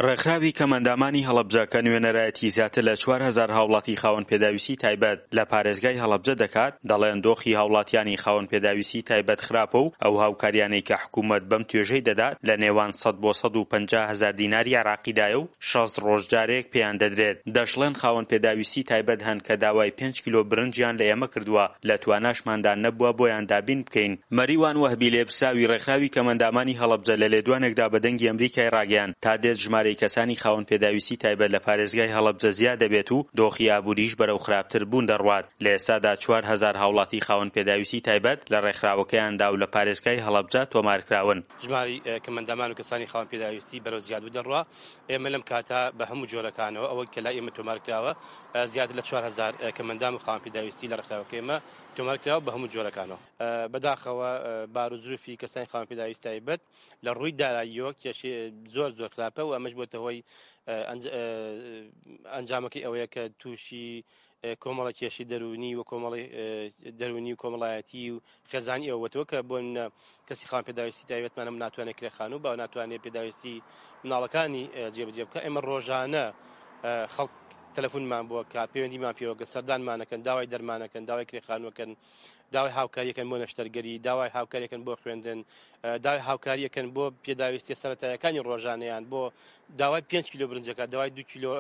ڕێکخراوی کەمئەندامانی هەڵەبجە کە نوێنەرایەتی زیاتر لە 4000 هاوڵاتی خاوەن پێداویستی تایبەت لە پارێزگای هەڵەبجە دەکات، دەڵێن دۆخی هاوڵاتیانی خاوەن پێداویستی تایبەت خراپە و ئەو هاوکاریانەی کە حکوومەت بەم توێژەی دەدات لە نێوان 100 بۆ 150 هەزار دیناری عێراقیدایە و 60 ڕۆژ جارێک پێیان دەدرێت. دەشڵێن خاوەن پێداویستی تایبەت هەن کە داوای پێنج کیلۆ برنجیان لە ئێمە کردووە، لە تواناشماندا نەبووە بۆیان دابین بکەین. مەریوان وەهبی لێپرسراوی ڕێکخراوی کەمئەندامانی هەڵەبجە لە لێدوانێکدا بە دەنگی ئەمریکای ڕاگەیاند، تا دێت ژمارەی کەسانی خاوەن پێداویستی تایبەت لە پارێزگای هەڵەبجە زیاد دەبێت و دۆخی ئابووریش بەرەو خراپتر بوون دەڕوات، لە ئێستادا 4000 هاوڵاتی خاوەن پێداویستی تایبەت لە ڕێکخراوەکەیاندا و لە پارێزگای هەڵەبجە تۆمارکراون. ژمارەی کەمئەندامان و کەسانی خاوەن پێداویستی بەرەو زیادبوون دەڕوا، ئێمە لەم کاتە بە هەموو جۆرەکانەوە ئەوەی کە لای ئێمە تۆمارکراوە زیاتر لە 4000 کەمئەندام و خاوەن پێداویستی لە ڕێکخراوەکەی ئێمە تۆمارکراوە بە هەموو جۆرەکانەوە. بەداخەوە بار و زروفی کەسانی خاوەن پێداویستی تایبەت لە ڕووی داراییەوە کێشەی زۆر زۆر خراپە و ئەمەش بۆتە هۆی ئەنجامەکەی ئەوەیە کە تووشی کۆمەڵە کێشی دەروونی و کۆمەڵی دەروونی و کۆمەڵایەتی و خێزانی ئەوەتەوە کە بۆ کەسی خاوەن پێداویستی تایبەتمانم ناتوانێت کرێخان و با ناتوانێت پێداویستی مناڵەکانی جێبەجێ بکە. ئێمە ڕۆژانە خەڵک تەلەفۆنمان بووە کە پەیوەندیمان پێوەکە، سەردانمانەکەن، داوای دەرمانەکەن، داوای کرێخانوەکەن، داوای هاوکاریەکەن بۆ نەشتەرگەری، داوای هاوکاریەکەن بۆ خوێندن، داوای هاوکاریەکەن بۆ پێداویستیە سەرەتایەکانی ڕۆژانەیان، بۆ داوای 5 کیلۆ برنجەکە، داوای 2 کیلۆ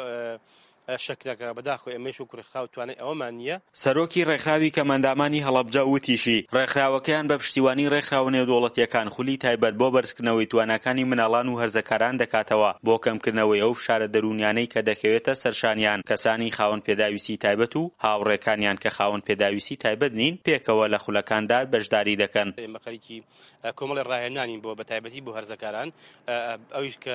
شەکرەکە. بەداخەوە ئێمەش وەکو ڕێکخراو توانای ئەوەمان نییە. سەرۆکی ڕێکخراوی کەمئەندامانی هەڵەبجە وتیشی، ڕێکخراوەکەیان بە پشتیوانی ڕێکخراوە نێودەوڵەتییەکان خولی تایبەت بۆ بەرزکردنەوەی تواناکانی مناڵان و هەرزەکاران دەکاتەوە بۆ کەمکردنەوەی ئەو فشارە دەروونیانەی کە دەکەوێتە سەرشانیان کەسانی خاوەن پێداویستی تایبەت و هاوڕێکانیان کە خاوەن پێداویستی تایبەت نین پێکەوە لە خولەکاندا بەشداری دەکەن. ئێمە خەریکی کۆمەڵی ڕاهێنانین بۆ بە تایبەتی بۆ هەرزەکاران، ئەویش کە.